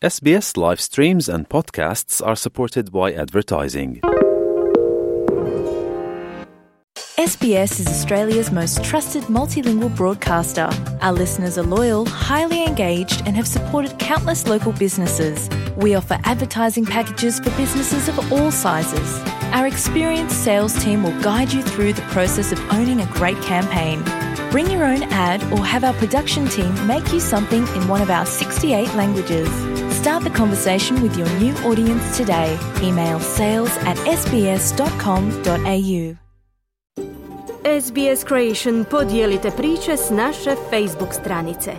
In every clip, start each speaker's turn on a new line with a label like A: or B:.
A: SBS live streams and podcasts are supported by advertising.
B: SBS is Australia's most trusted multilingual broadcaster. Our listeners are loyal, highly engaged, and have supported countless local businesses. We offer advertising packages for businesses of all sizes. Our experienced sales team will guide you through the process of owning a great campaign. Bring your own ad or have our production team make you something in one of our 68 languages. Start the conversation with your new audience today. Email sales@sbs.com.au.
C: SBS Creation podijelite priče s naše Facebook stranice.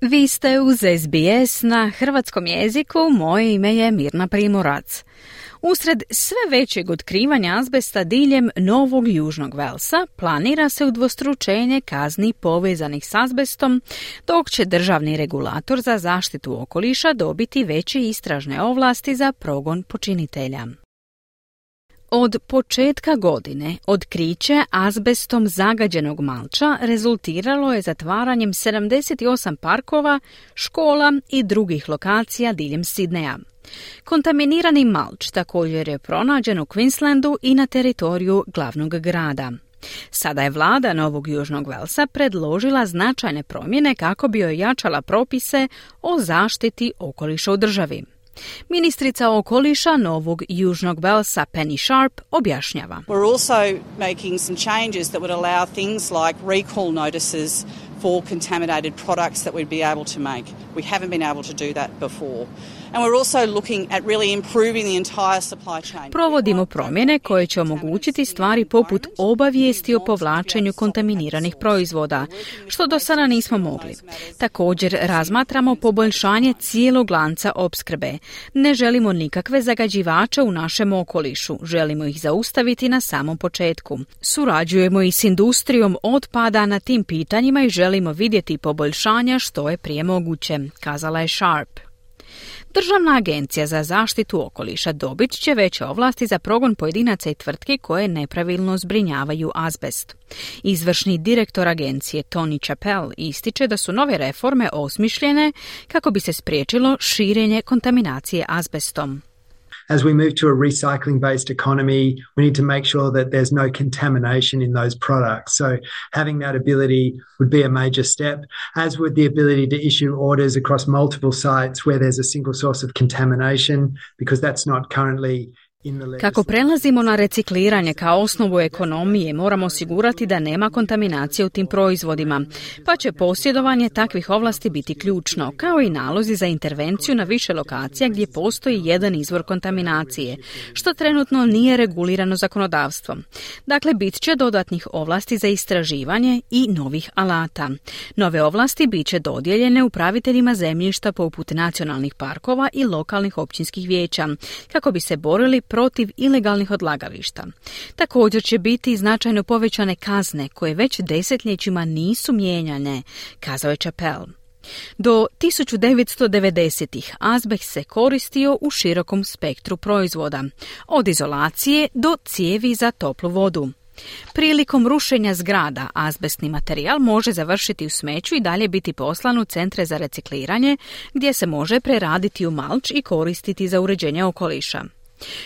D: Vi ste uz SBS na hrvatskom jeziku, moje ime je Mirna Primorac. Usred sve većeg otkrivanja azbesta diljem Novog Južnog Velsa planira se udvostručenje kazni povezanih s azbestom, dok će državni regulator za zaštitu okoliša dobiti veće istražne ovlasti za progon počinitelja. Od početka godine otkriće azbestom zagađenog malča rezultiralo je zatvaranjem 78 parkova, škola i drugih lokacija diljem Sidneja. Kontaminirani malč također je pronađen u Queenslandu i na teritoriju glavnog grada. Sada je vlada Novog Južnog Velsa predložila značajne promjene kako bi ojačala propise o zaštiti okoliša u državi. Ministrica okoliša Novog Južnog Velsa Penny Sharp objašnjava.
E: We're also making some changes that would allow things like recall notices for contaminated products that we'd be able to make. We haven't been able to do that before. And we're also looking at really improving the entire supply chain.
D: Provodimo promjene koje će omogućiti stvari poput obavijesti o povlačenju kontaminiranih proizvoda, što do sada nismo mogli. Također razmatramo poboljšanje cijelog lanca opskrbe. Ne želimo nikakve zagađivače u našem okolišu, želimo ih zaustaviti na samom početku. Surađujemo i s industrijom otpada na tim pitanjima i želimo vidjeti poboljšanja što je prije moguće, kazala je Sharp. Državna agencija za zaštitu okoliša dobit će veće ovlasti za progon pojedinaca i tvrtki koje nepravilno zbrinjavaju azbest. Izvršni direktor agencije Tony Chappell ističe da su nove reforme osmišljene kako bi se spriječilo širenje kontaminacije azbestom.
F: As we move to a recycling-based economy, we need to make sure that there's no contamination in those products. So having that ability would be a major step, as would the ability to issue orders across multiple sites where there's a single source of contamination, because that's not currently.
D: Kako prelazimo na recikliranje kao osnovu ekonomije, moramo osigurati da nema kontaminacije u tim proizvodima, pa će posjedovanje takvih ovlasti biti ključno, kao i nalozi za intervenciju na više lokacija gdje postoji jedan izvor kontaminacije, što trenutno nije regulirano zakonodavstvom. Dakle, bit će dodatnih ovlasti za istraživanje i novih alata. Nove ovlasti bit će dodijeljene upraviteljima zemljišta poput nacionalnih parkova i lokalnih općinskih vijeća, kako bi se borili protiv ilegalnih odlagališta. Također će biti značajno povećane kazne koje već desetljećima nisu mijenjane, kazao je Chappell. Do 1990-ih azbest se koristio u širokom spektru proizvoda, od izolacije do cijevi za toplu vodu. Prilikom rušenja zgrada azbestni materijal može završiti u smeću i dalje biti poslan u centre za recikliranje, gdje se može preraditi u malč i koristiti za uređenje okoliša.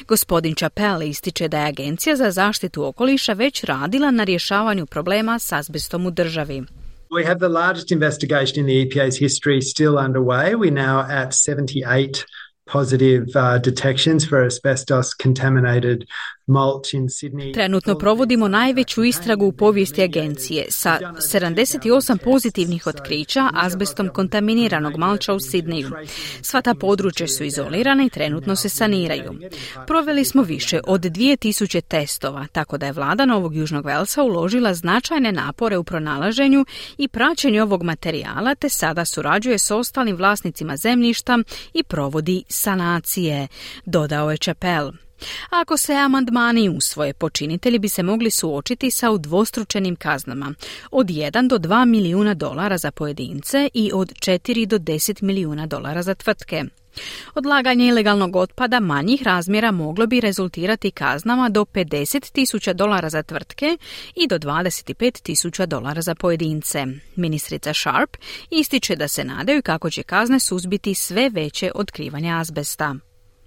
D: Gospodin Chappell ističe da je Agencija za zaštitu okoliša već radila na rješavanju problema s azbestom u državi.
F: We have the largest investigation in the EPA's history still underway. We're now at 78 positive detections for asbestos contaminated mulch in Sydney.
D: Trenutno provodimo najveću istragu u povijesti agencije sa 78 pozitivnih otkrića azbestom kontaminiranog malča u Sidneju. Sva ta područja su izolirana i trenutno se saniraju. Proveli smo više od 2000 testova, tako da je vlada Novog Južnog Velsa uložila značajne napore u pronalaženju i praćenju ovog materijala, te sada surađuje s ostalim vlasnicima zemljišta i provodi sanacije, dodao je Chappell. Ako se amandmani usvoje, počinitelji bi se mogli suočiti sa udvostručenim kaznama od 1 do 2 milijuna dolara za pojedince i od 4 do 10 milijuna dolara za tvrtke. Odlaganje ilegalnog otpada manjih razmjera moglo bi rezultirati kaznama do $50,000 za tvrtke i do $25,000 za pojedince. Ministrica Sharp ističe da se nadaju kako će kazne suzbiti sve veće otkrivanje azbesta.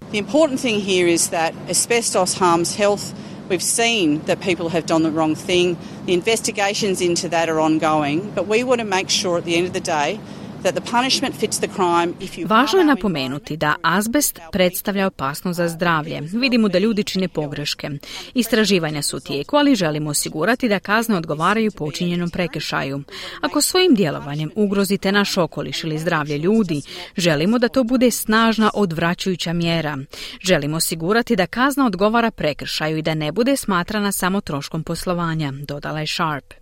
E: The important thing here is that asbestos harms health. We've seen that people have done the wrong thing. The investigations into that are ongoing, but we want to make sure at the end of the day that the punishment fits the crime.
D: Važno je napomenuti da azbest predstavlja opasnost za zdravlje. Vidimo da ljudi čine pogreške. Istraživanja su u tijeku, ali želimo osigurati da kazne odgovaraju počinjenom prekršaju. Ako svojim djelovanjem ugrozite naš okoliš ili zdravlje ljudi, želimo da to bude snažna odvraćajuća mjera. Želimo osigurati da kazna odgovara prekršaju i da ne bude smatrana samo troškom poslovanja, dodala je Sharp.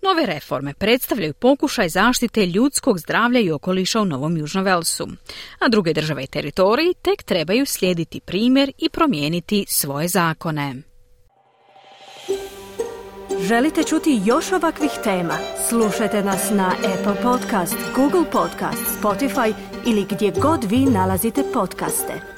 D: Nove reforme predstavljaju pokušaj zaštite ljudskog zdravlja i okoliša u Novom Južnom Velsu, a druge države i teritoriji tek trebaju slijediti primjer i promijeniti svoje zakone.
C: Želite čuti još ovakvih tema? Slušajte nas na Apple Podcast, Google Podcast, Spotify ili gdje god vi nalazite podcaste.